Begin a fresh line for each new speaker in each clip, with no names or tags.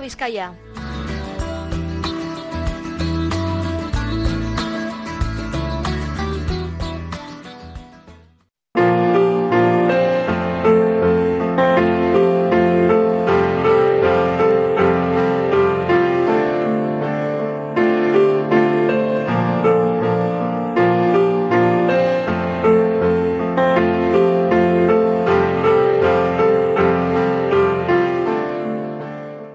Bizkaia.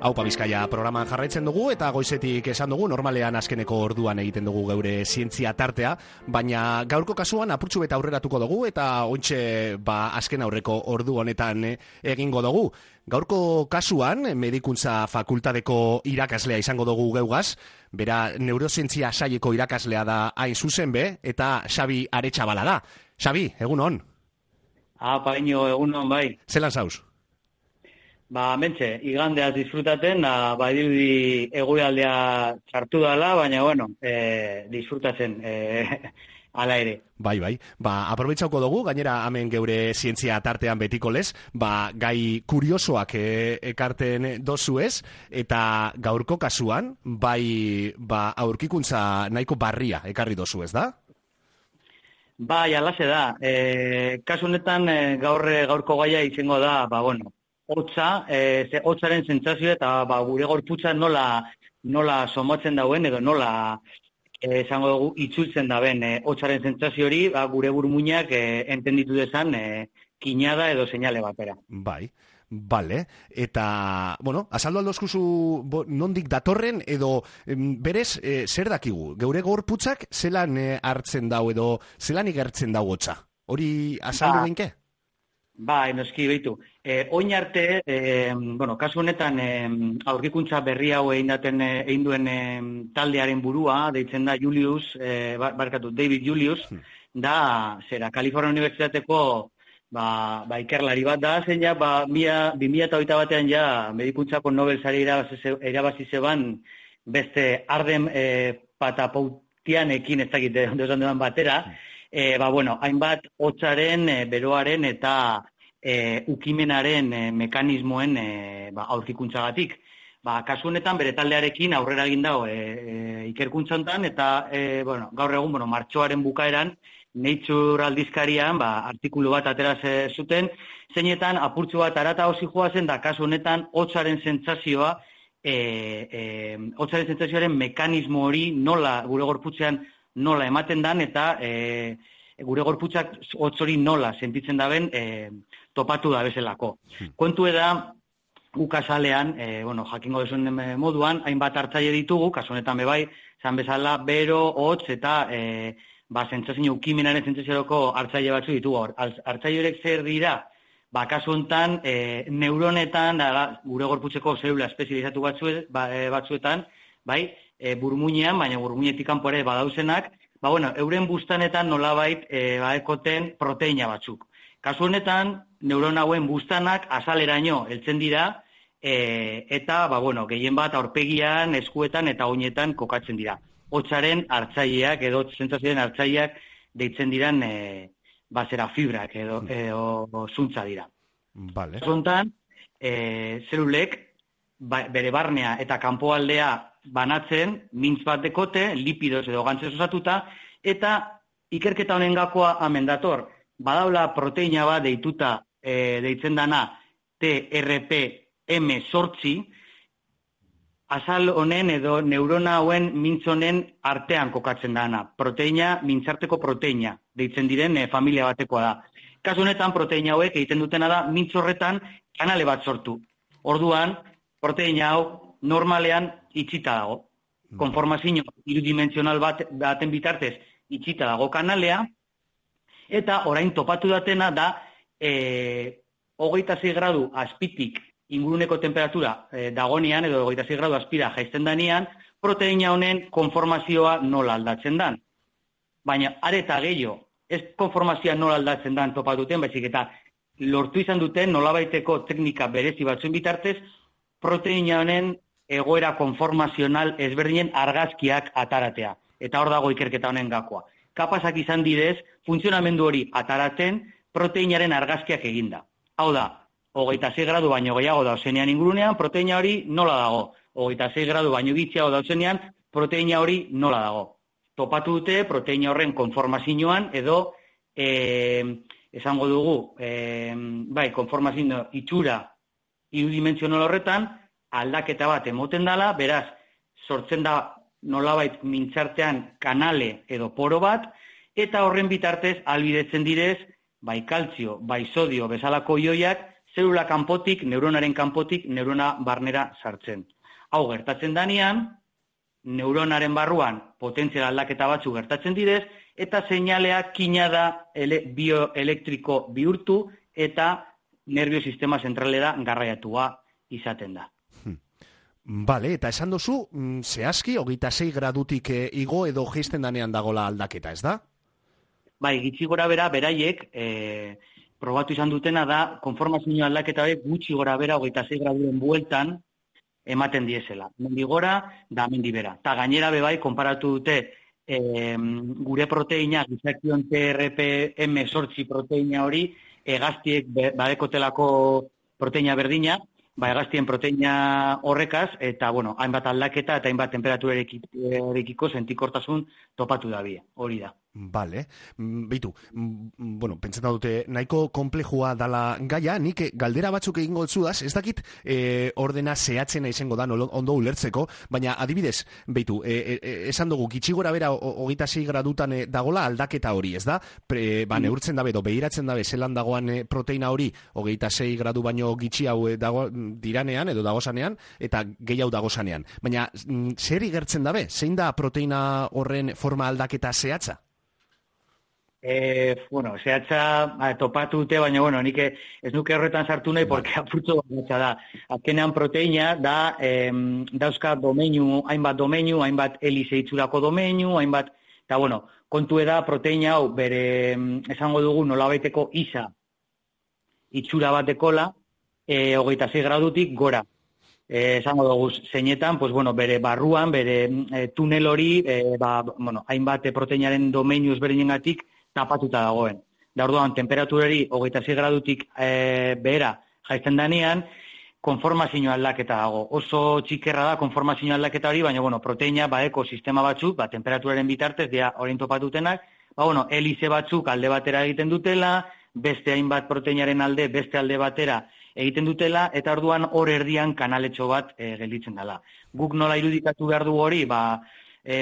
Aupa Bizkaia programan jarraitzen dugu eta goizetik esan dugu normalean azkeneko orduan egiten dugu geure zientzia tartea, baina gaurko kasuan apurtxu eta aurreratuko dugu eta ontxe azken aurreko ordu honetan egingo dugu. Gaurko kasuan medikuntza fakultateko irakaslea izango dugu geugaz, bera neurozientzia saieko irakaslea da hain zuzen be, eta Xabi Aretxabala da. Xabi, egun hon?
Paino, egun hon bai.
Zelan zauz?
Mentxe, igandeaz disfrutaten, dirudi egoialdea txartu dala, baina, disfrutatzen ala ere.
Bai. Aprobetxauko dugu, gainera hemen geure zientzia tartean betiko lez, gai kuriosoak ekarten dozu ez, eta gaurko kasuan, aurkikuntza nahiko barria ekarri dozu ez da?
Bai, alase da. Kasu honetan gaurko gaia izango da, hotza, hotzaren sentsazio eta gure gorputza nola somatzen dauen edo nola esango dugu itzultzen daben hotzaren sentsazio hori gure burmuinak entenditu dezan kinada edo seinale batera.
Bai. Bale, eta, azaldu aldozkuzu nondik datorren edo berez zer dakigu? Geure gorputzak zelan hartzen dau edo zelan igertzen dau hotza? Hori azaldu genke?
Noski behitu. Oin arte, kasu honetan aurkikuntza berri hau egin duen taldearen burua, deitzen da David Julius, da, Kalifornia Unibertsitateko ikerlari bat da, zein 2008 batean medikuntzako Nobel sari irabazi zeban beste Arden Patapoutianekin ez dakit dozan duan batera, hainbat hotzaren, beroaren eta ukimenaren mekanismoen aurkikuntzagatik. Kasu honetan bere taldearekin aurrera egin dago ikerkuntza honetan eta gaur egun martxoaren bukaeran Nature aldizkarian artikulu bat atera zuten, zeinetan apurtxo bat arata hausi joazen da kasu honetan hotzaren sentsazioa hotzaren sentsazioaren mekanismo hori nola gure gorputzean nola ematen dan eta gure gorputzak hotz hori nola sentitzen daben topatu da bezalako. Kontu da ukazalean, jakingo duzuen moduan, hainbat hartzaile ditugu, kasu honetan bebai, zan bezala, bero, hotz eta sentsazio ukimenaren sentsaziorako hartzaile batzu ditugu. Hartzaile horiek zer dira? Kasu honetan, neuronetan, gure gorputzeko zelula espezializatu batzuetan, burmuinean, baina burmuinetik kanpo ere badauzenak, euren bustanetan nolabait ekoten proteina batzuk. Kasu honetan, neuron hauen bustanak azaleraino heltzen dira eta, gehien bat aurpegian, eskuetan eta oinetan kokatzen dira. Hotzaren hartzaileak edo sentsazioen hartzaileak deitzen diran fibrak edo zuntza dira.
Vale.
Kasu honetan, zelulek bere barnea eta kanpoaldea banatzen, mintz bat dekote, lipidoz edo gantzez osatuta, eta ikerketa honen gakoa hemen dator. Badaula proteina bat deituta deitzen dana TRPM8, azal honen edo neurona hauen mintz honen artean kokatzen dana. Proteina, mintzarteko proteina, deitzen diren familia batekoa da. Kasu honetan proteina hauek egiten dutena da mintz horretan kanale bat sortu. Orduan, proteina hau normalean itxita dago. Konformazio irudimensional baten bitartez itxita dago kanalea, eta orain topatu datena da 26 gradu azpitik inguruneko temperatura dagonean, edo 26 gradu azpira jaisten danean, proteina honen konformazioa nola aldatzen dan. Baina are eta gehiago, ez konformazioa nola aldatzen dan topatuten, baizik eta lortu izan duten nolabaiteko teknika berezi batzuen bitartez, proteina honen egoera konformazional ezberdinen argazkiak ataratea. Eta hor dago ikerketa honen gakoa. Kapazak izan didez, funtzionamendu hori ataratzen proteinaren argazkiak eginda. Hau da, 26 gradu baino gehiago dauzenean ingurunean, proteina hori nola dago. 26 gradu baino gitxiago dauzenean, proteina hori nola dago. Topatu dute proteina horren konformazioan edo esango dugu, konformazio itxura irudimentzional horretan aldaketa bat emoten dela, beraz, sortzen da nolabait mintzartean kanale edo poro bat, eta horren bitartez albidetzen direz, bai kaltzio, bai sodio bezalako ioiak, zelula kanpotik, neuronaren kanpotik, neurona barnera sartzen. Hau gertatzen danean, neuronaren barruan potentzial aldaketa batzu gertatzen direz, eta seinalea kinada bioelektriko bihurtu eta nerviosistema zentralera garraiatua izaten da.
Bale, eta esan duzu, zehazki, 26 gradutik igo edo geisten danean dagola aldaketa, ez da?
Bai, gitxi gora bera, beraiek, probatu izan dutena da, konformazio aldaketa hori gutxi gora bera 26 graduren bueltan ematen diezela. Mendi gora da mendi bera. Ta gainera bebai, konparatu dute gure proteina, gizakion TRPM8 proteina hori, hegaztiek badekotelako proteina berdina, hegaztien proteina horrekaz, eta, hainbat aldaketa eta hainbat temperaturerekiko sentikortasun topatu da bie, hori da.
Bale, beitu, pentsetan dute nahiko komplejua dala gaia, nik galdera batzuk egingo zudaz, ez dakit ordena zehatzena izango da ondo ulertzeko, baina adibidez, beitu, esan dugu, gitxi gora bera 26 gradutan dagola aldaketa hori, ez da? Neurtzen dabe, behiratzen dabe, zelan dagoan proteina hori, 26 gradu baino gitxi hau diranean, edo dagozanean, eta gehiago dagozanean. Baina, zer igertzen dabe? Zein da proteina horren forma aldaketa zehatza?
Zehatza topatu dute, baina, nik ez nuke horretan sartu nahi, porque apurtzo batza da. Azkenean proteina da, dauzka hainbat domeinu, hainbat helize itxurako domeinu, hainbat, eta kontu da proteina hau, bere, esango dugu, nolabaiteko isa itxura bat dekola, 26 gradutik gora. Esango dugu, zeinetan, bere barruan, bere tunel hori, hainbat proteinaren domeinu ezberdinengatik tapatuta dagoen. Da orduan, temperaturari 26 gradutik behera jaisten danean, konformazio aldaketa dago. Oso txikerra da konformazio aldaketa hori, baina, proteina badeko sistema batzuk, temperaturaren bitartez, dira orain topatutenak, helize batzuk alde batera egiten dutela, beste hainbat proteinaren alde, beste alde batera egiten dutela, eta orduan hor erdian kanaletxo bat gelditzen dela. Guk nola irudikatu behar du hori,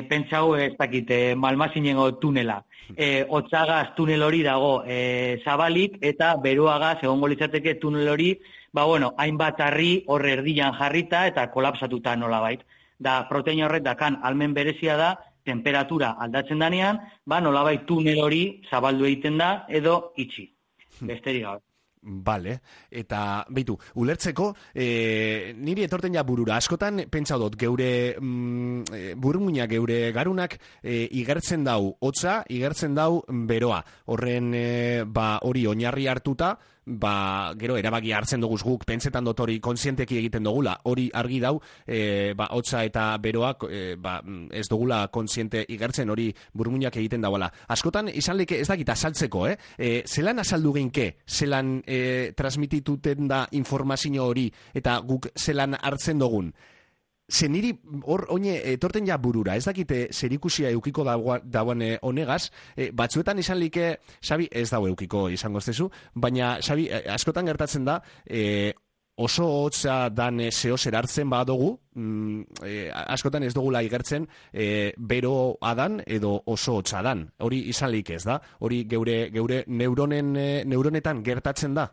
pentsau ez dakit, malmazinengo tunela. Otzagaz tunel hori dago zabalik, eta beroagaz egongo litzateke tunel hori, hainbat harri hor erdian jarrita eta kolapsatuta nolabait. Da proteina horret dakan almen berezia da, temperatura aldatzen danean, nolabait tunel hori zabaldu egiten da edo itxi. Besterik gabe.
Bale, eta beitu, ulertzeko, niri etorten ja burura, askotan pentsau dut, geure burmuina, geure garunak igertzen dau hotza, igertzen dau beroa. Horren hori oinarri hartuta, gero erabaki hartzen duguz guk, pentsetan dut hori kontzienteki egiten dugula, hori argi dau, hotza eta beroak ez dugula kontziente igertzen, hori burmuinak egiten dauala. Askotan izan leke ez dakit azaltzeko, zelan azaldu geinke, zelan transmitituten da informazio hori, eta guk zelan hartzen dugun. Zeniri hor oine etorten ja burura, ez dakite zerikusia eukiko dagoen honegaz, batzuetan izan like, Xabi, ez dago eukiko izango estezu, baina Xabi, askotan gertatzen da, oso hotza dan zehoz erartzen badugu, askotan ez dugula igertzen bero adan edo oso hotza dan. Hori izan like ez da? Hori geure neuronetan gertatzen da?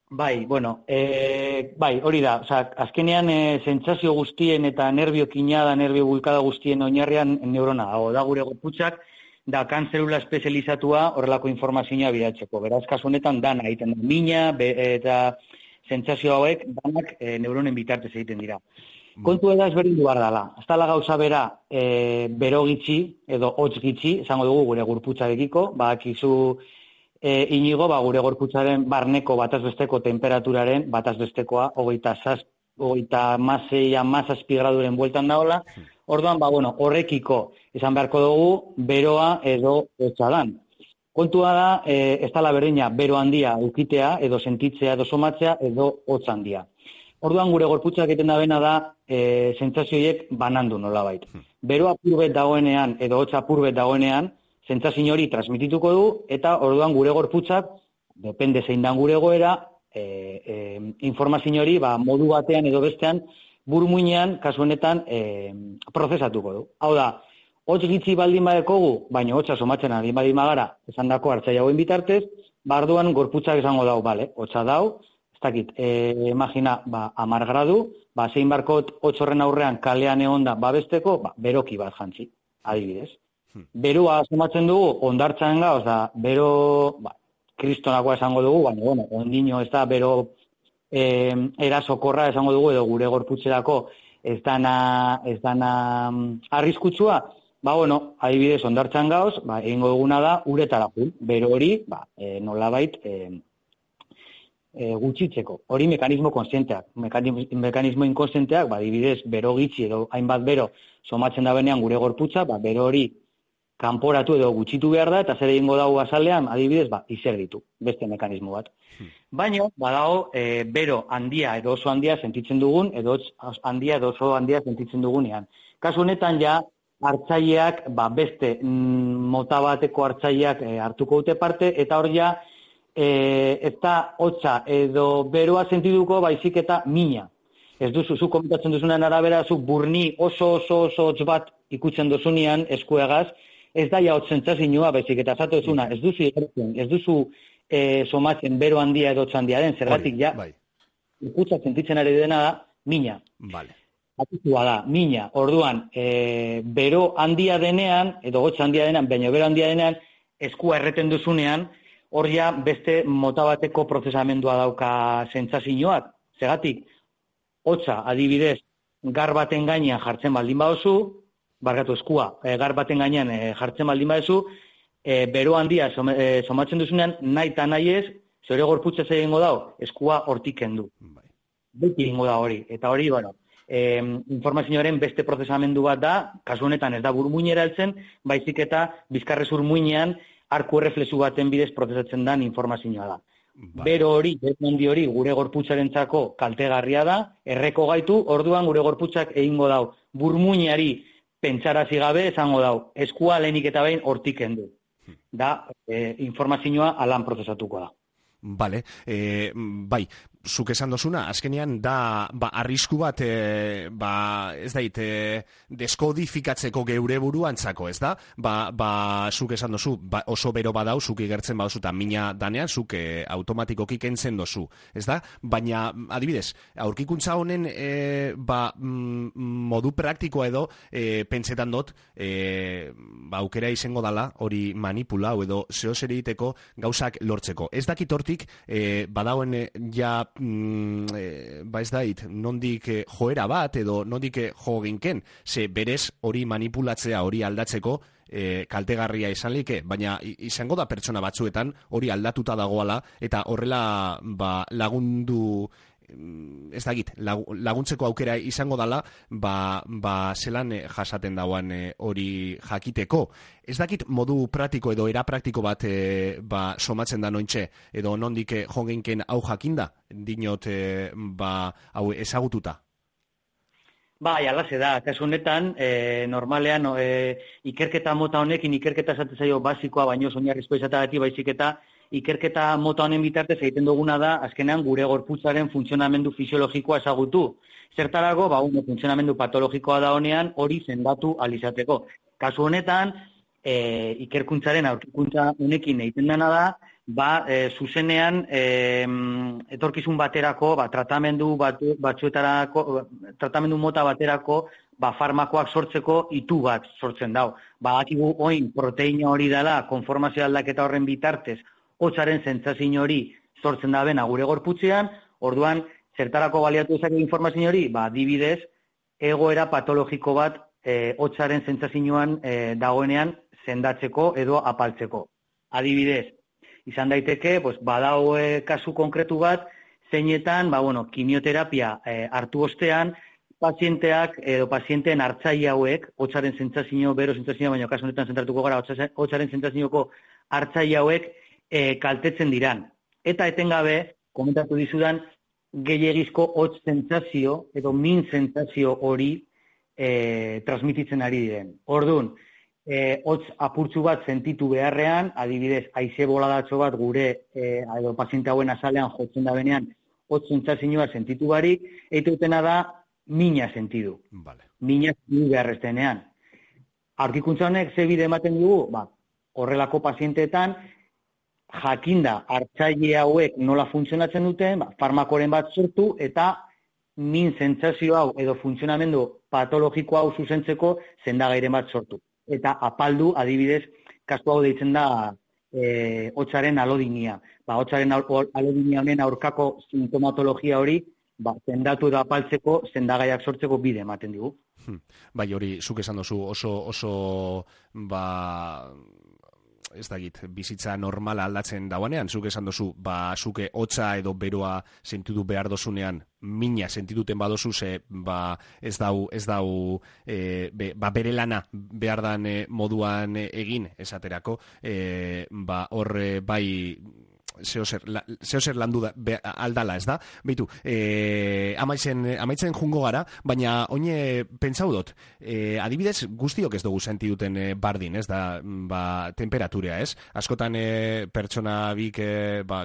Bai, hori da. Azkenean sentsazio guztien eta nerviokina da, nerbio bulkada guztien oinarrian neurona dago. Da gure gorputzak dakan zelula espezializatua horrelako informazioa bidatzeko. Beraz, kasu honetan dana egiten da. Mina eta sentsazio hauek danak neuronen bitartez egiten dira. Kontu da ezberdindu behar dela. Ez dela gauza bera bero gitxi edo hotz gitxi, esango dugu gure gorputzarekiko, badakizu Inigo, gure gorputzaren barneko batazbesteko temperaturaren batazbestekoa 36 graduren bueltan daola. Orduan, horrekiko esan beharko dugu beroa edo hotza dan. Kontua da, ez dela berdina bero handia ukitea, edo sentitzea, edo somatzea, edo hotz handia. Orduan gure gorputzak egiten dabena da sentsazioiek banandu nolabait. Bero apurbet dagoenean edo hotz apurbet dagoenean, sentsazio hori transmitituko du eta orduan gure gorputzak, depende zein dan gure egoera, informazio hori modu batean edo bestean burmuinean kasu honetan prozesatuko du. Hau da, hotz gitxi baldin badekogu, baina hotza somatzen ari baldin bagara, esandako hartzaile hauen bitartez, orduan gorputzak esango dau, bale, hotza dau. Ez dakit, imagina, 10 gradu, zein barkot 8 horren aurrean kalean egon da babesteko, beroki bat jantzi, adibidez. Beroa somatzen dugu, ondartzan gauz, bero, kristonakoa esango dugu, baina, bueno, ondino ez da, bero erasokorra esango dugu, edo gure gorputzerako ez dana arriskutsua, bueno, adibidez, ondartzan gauz, egingo duguna da, uretara jun, bero hori, nolabait, gutxitzeko. Hori mekanismo konsienteak. Mekanismo inkonsienteak, adibidez, bero gitxi edo hainbat bero somatzen da benean gure gorputza, bero hori kanporatu edo gutxitu behar da, eta zer egingo dago azalean, adibidez, izerditu, beste mekanismo bat. Baina, badago, bero handia edo oso handia sentitzen dugun, edo handia edo oso handia sentitzen dugunean. Kasu honetan ja, hartzaileak, beste mota bateko hartzaileak hartuko dute parte, eta hor ja, ez da hotza edo beroa sentituko baizik eta mina. Ez duzu, zu komentatzen duzunean arabera, zu burni oso hotz bat ikutzen duzunean eskuegaz, ez da ja hotz sentsazioa baizik eta zatu duzuna, ez duzu ikertzen, ez duzu somatzen bero handia edo hotz handia den, zergatik ja, ikutza sentitzen ari dena da, mina. Atizua da, mina. Orduan, bero handia denean, edo hotz handia denean, baina bero handia denean, eskua erreten duzunean, hor ja beste mota bateko prozesamendua dauka sentsazioak. Zergatik, hotza adibidez, gar baten gainean jartzen baldin baduzu, barkatu eskua, gar baten gainean jartzen baldin baduzu, bero handia somatzen duzunean, nahi eta nahi ez, zure gorputza egingo dau, eskua hortik kendu. Beti egingo da hori. Eta hori, informazioaren beste prozesamendu bat da, kasu honetan ez da burmuinera heltzen, baizik eta bizkarrezur muinean, arku erreflexu baten bidez prozesatzen den informazioa da. Bero hori, handi hori, gure gorputzarentzako kaltegarria da, erreko gaitu, orduan gure gorputzak egingo dau. Burmuinari pentsarazi gabe esango dau, eskua lehenik eta behin hortik kendu. Da, informazioa alan prozesatuko da.
Bale, bai, zuk esan dozuna, azkenean da arrisku bat, ez dait, deskodifikatzeko geure buruantzako, ez da? Zuk esan dozu, oso bero badau, zuk igertzen baduzu eta mina danean, zuk automatikoki kentzen dozu, ez da? Baina, adibidez, aurkikuntza honen modu praktikoa edo, pentsetan dut, aukera izango dala, hori manipulau edo zeo zer egiteko gauzak lortzeko. Ez dakit hortik, badauen ja ez dait, nondik joera bat edo nondik jo ginken, ze berez hori manipulatzea, hori aldatzeko kaltegarria izan like, baina izango da pertsona batzuetan hori aldatuta dagoala eta horrela lagundu, ez dakit, laguntzeko aukera izango dala, zelan jasaten dauan hori jakiteko. Ez dakit modu praktiko edo era praktiko bat somatzen da nointxe, edo nondik jongenken hau jakinda, dinot hau ezagututa.
Bai, alase da, kasu honetan, normalean, ikerketa mota honekin, ikerketa esaten zaio basikoa, baino oinarrizko izatagatik baizik eta ikerketa mota honen bitartez egiten duguna da, azkenean gure gorputzaren funtzionamendu fisiologikoa ezagutu. Zertarako, funtzionamendu patologikoa da honean, hori zendatu alizateko. Kasu honetan, ikerkuntzaren aurkikuntza honekin egiten dena da, zuzenean etorkizun baterako, tratamendu mota baterako, farmakoak sortzeko itu bat sortzen dau. Badakigu oin proteina hori dela, konformazio aldaketa horren bitartez, hotzaren sentsazio hori sortzen da bena gure gorputzean, orduan, zertarako baliatu ezak informazio hori, adibidez, egoera patologiko bat hotzaren sentsazioan dagoenean sendatzeko edo apaltzeko. Adibidez, izan daiteke, badau kasu konkretu bat, zeinetan, kimioterapia hartu ostean, pazienteak edo pazienteen hartzaile hauek, hotzaren sentsazio, bero sentsazio, baina kasu honetan zentratuko gara, hotzaren sentsazioko hartzaile hauek kaltetzen diran. Eta etengabe, komentatu dizudan, gehiagizko hotz sentsazio edo min sentsazio hori transmititzen ari diren. Orduan, hotz apurtzu bat sentitu beharrean, adibidez, haize boladatxo bat gure edo paziente hauen azalean jotzen da benean, hotz sentsazioa sentitu barik, eta utena da mina sentidu.
Vale.
Mina sentidu beharreztenean. Aurkikuntza honek ze bide ematen dugu, horrelako pazienteetan, jakinda hartzaile hauek nola funtzionatzen duten, farmakoren bat sortu eta min sentsazio hau edo funtzionamendu patologiko hau zuzentzeko sendagairen bat sortu. Eta apaldu, adibidez, kasu hau deitzen da hotzaren alodinia. Hotzaren alodinia honen aurkako sintomatologia hori sendatu edo apaltzeko sendagaiak sortzeko bide ematen digu.
Bai, hori, zuk esan dozu oso ez dakit, bizitza normala aldatzen dauanean, zuk esan dozu, zuke hotza edo beroa sentitu behar dozunean, mina sentituten badozu, ze ez dau bere lana behar dan moduan egin, esaterako, hor bai zeozer landu aldala, ez da? Beitu, amaitzen jungo gara, baina oine pentsau dut, adibidez guztiok ez dugu senti duten bardin, ez da, temperaturea, ez? Askotan pertsona bik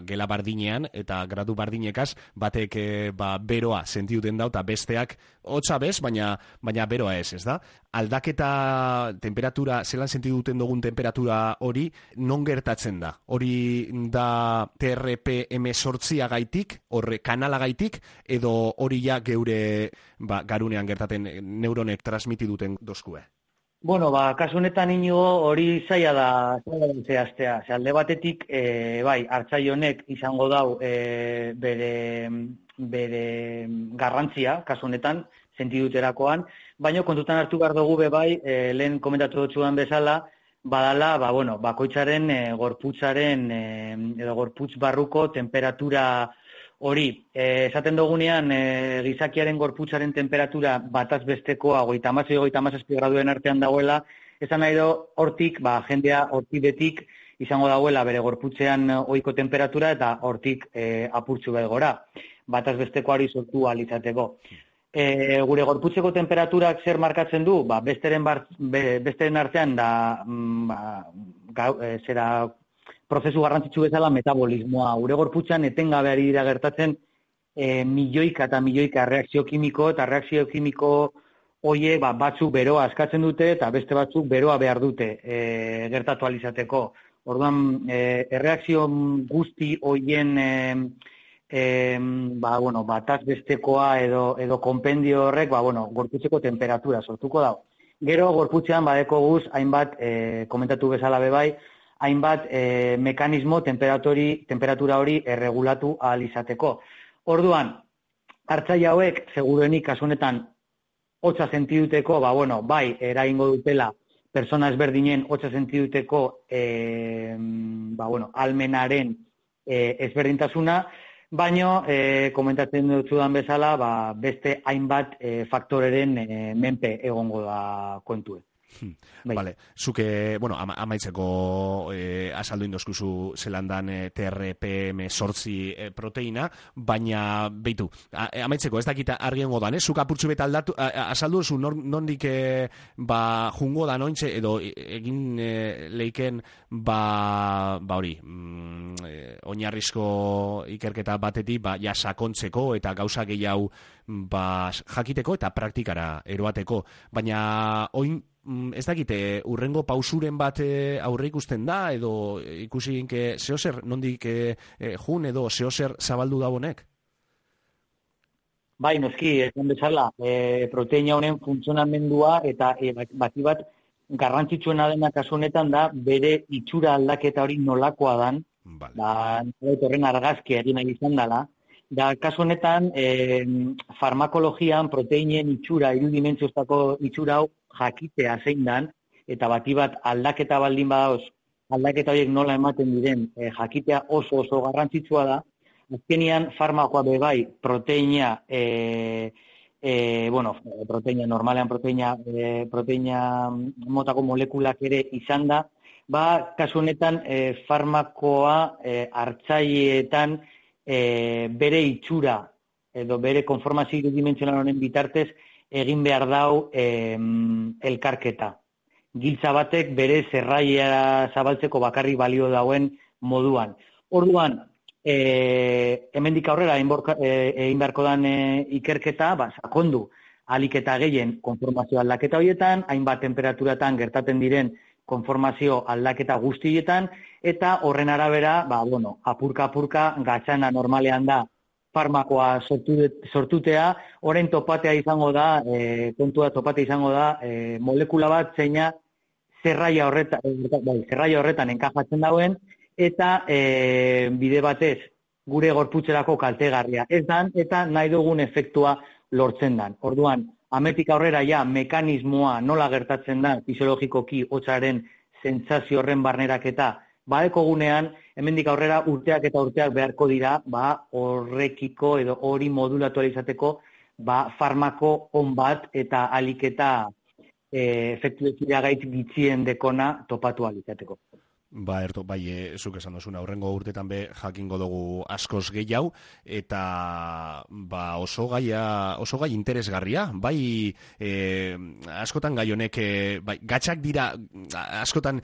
gela bardinean eta gradu bardinekaz batek beroa senti duten dau eta besteak hotza bez, baina beroa ez da? Aldaketa temperatura, zelan senti duten dugun temperatura hori, non gertatzen da? Hori da TRPM8 gaitik, horre kanala gaitik, edo hori ja geure garunean gertaten neuronek transmiti duten dozkue?
Bueno, kasu honetan inigo hori zaila da zehaztea. Alde batetik, hartzaile honek izango dau bere garrantzia, kasu honetan, sentiduterakoan, baina kontutan hartu behar dugu lehen komentatu dutxuan bezala, badala, bakoitzaren gorputzaren edo gorputz barruko temperatura hori. Esaten dugunean, gizakiaren gorputzaren temperatura bataz bestekoa 36-37 graduen artean dagoela, esan nahi hortik, jendea hortibetik izango dagoela bere gorputzean ohiko temperatura eta hortik apurtzu behar gora. Bataz bestekoari sortu alizateko. Gure gorputzeko temperaturak zer markatzen du? Besteren artean da prozesu garrantzitsu bezala metabolismoa. Gure gorputzan etengabe ari dira gertatzen milioika eta milioika reakzio kimiko, eta reakzio kimiko horiek batzuk beroa askatzen dute eta beste batzuk beroa behar dute gertatu alizateko. Orduan, erreakzio guzti horien bataz bestekoa edo konpendio horrek, gorputzeko temperatura sortuko dago. Gero, gorputzean badeko guz, hainbat, komentatu bezala bebai, hainbat mekanismo temperatura hori erregulatu ahal izateko. Orduan, hartzaile hauek, seguruenik kasunetan, hotza sentiduteko, eragingo dutela, persona ezberdinen hotza sentiduteko, almenaren ezberdintasuna, baino, komentatzen dutzudan bezala, beste hainbat faktoreren menpe egongo da kontue.
Vale, zuke, amaitzeko azaldu indoskuzu zelandan TRPM8 proteina, baina, beitu, amaitzeko ez dakita argien godan, zuk apurtzu beta azaldu zu nondik jungo da nointxe, edo egin leiken hori, oinarrizko ikerketa batetik, sakontzeko eta gauza gehiago jakiteko eta praktikara eroateko, baina oin ez dakite, urrengo pausuren bat aurre ikusten da, edo ikusi ginke zehozer nondik jun edo zehozer zabaldu da honek?
Bai, noski, esan bezala, proteina honen funtzionamendua eta bati bat garrantzitsuena dena kasu honetan da bere itxura aldaketa hori nolakoa dan, horren argazkia egin nahi izan dela. Da, kasu honetan, farmakologian proteinen itxura, irudimentzioztako itxura hau jakitea zein dan, eta bati bat aldaketa baldin badaoz, aldaketa horiek nola ematen diren, jakitea oso garrantzitsua da. Azkenean, farmakoa bebai, proteina, proteina, normalean proteina motako molekulak ere izan da, kasu honetan farmakoa hartzaileetan bere itxura edo bere konformazio irudimentsional honen bitartez egin behar dau elkarketa. Giltza batek bere zerraia zabaltzeko bakarrik balio dauen moduan. Orduan, hemendik aurrera egin beharko dan ikerketa, sakondu ahalik eta gehien konformazio aldaketa horietan, hainbat temperaturatan gertatzen diren konformazio aldaketa guztietan, eta horren arabera, apurka-apurka, gatzana normalean da farmakoa sortutea, horren topatea izango da, kontua topatea izango da, molekula bat zeina zerraia horretan enkajatzen dauen, eta bide batez gure gorputzerako kaltegarria ez dan, eta nahi dugun efektua lortzen dan. Orduan, ametik aurrera mekanismoa nola gertatzen da fisiologikoki hotzaren sentsazio horren barneraketa badekogunean, hemendik aurrera urteak eta urteak beharko dira, horrekiko edo hori modulatu izateko, farmako on bat eta ahalik eta efektu gaitz gitzien dekona topatu izateko.
Zuk esan dozuna, horrengo urtetan jakingo dugu askoz gehiago, eta oso gai interesgarria, askotan gai honek, gatxak dira, askotan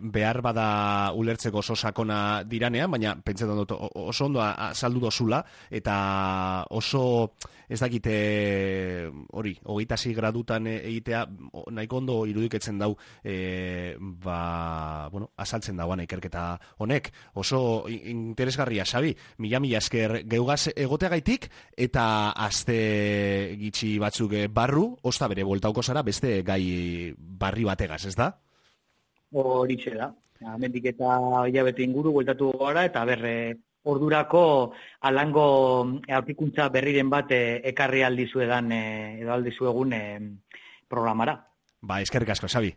behar bada ulertzeko oso sakona diranean, baina pentsetan dut oso ondo azaldu dozula, eta oso ez dakite hori, 26 gradutan egitea, nahiko ondo irudiketzen dau, azaltzen dagoan ikerketa honek. Oso interesgarria, Xabi. Mila esker geugaz egoteagaitik, eta aste gitxi batzuk barru, osta bere bueltauko zara beste gai barri bategaz, ez da?
Horixe da. Hemendik eta hilabete inguru bueltatu gara, eta ordurako alango aurkikuntza berriren bat ekarri aldizuedan edo aldizuegun programara.
Eskerrik asko, Xabi.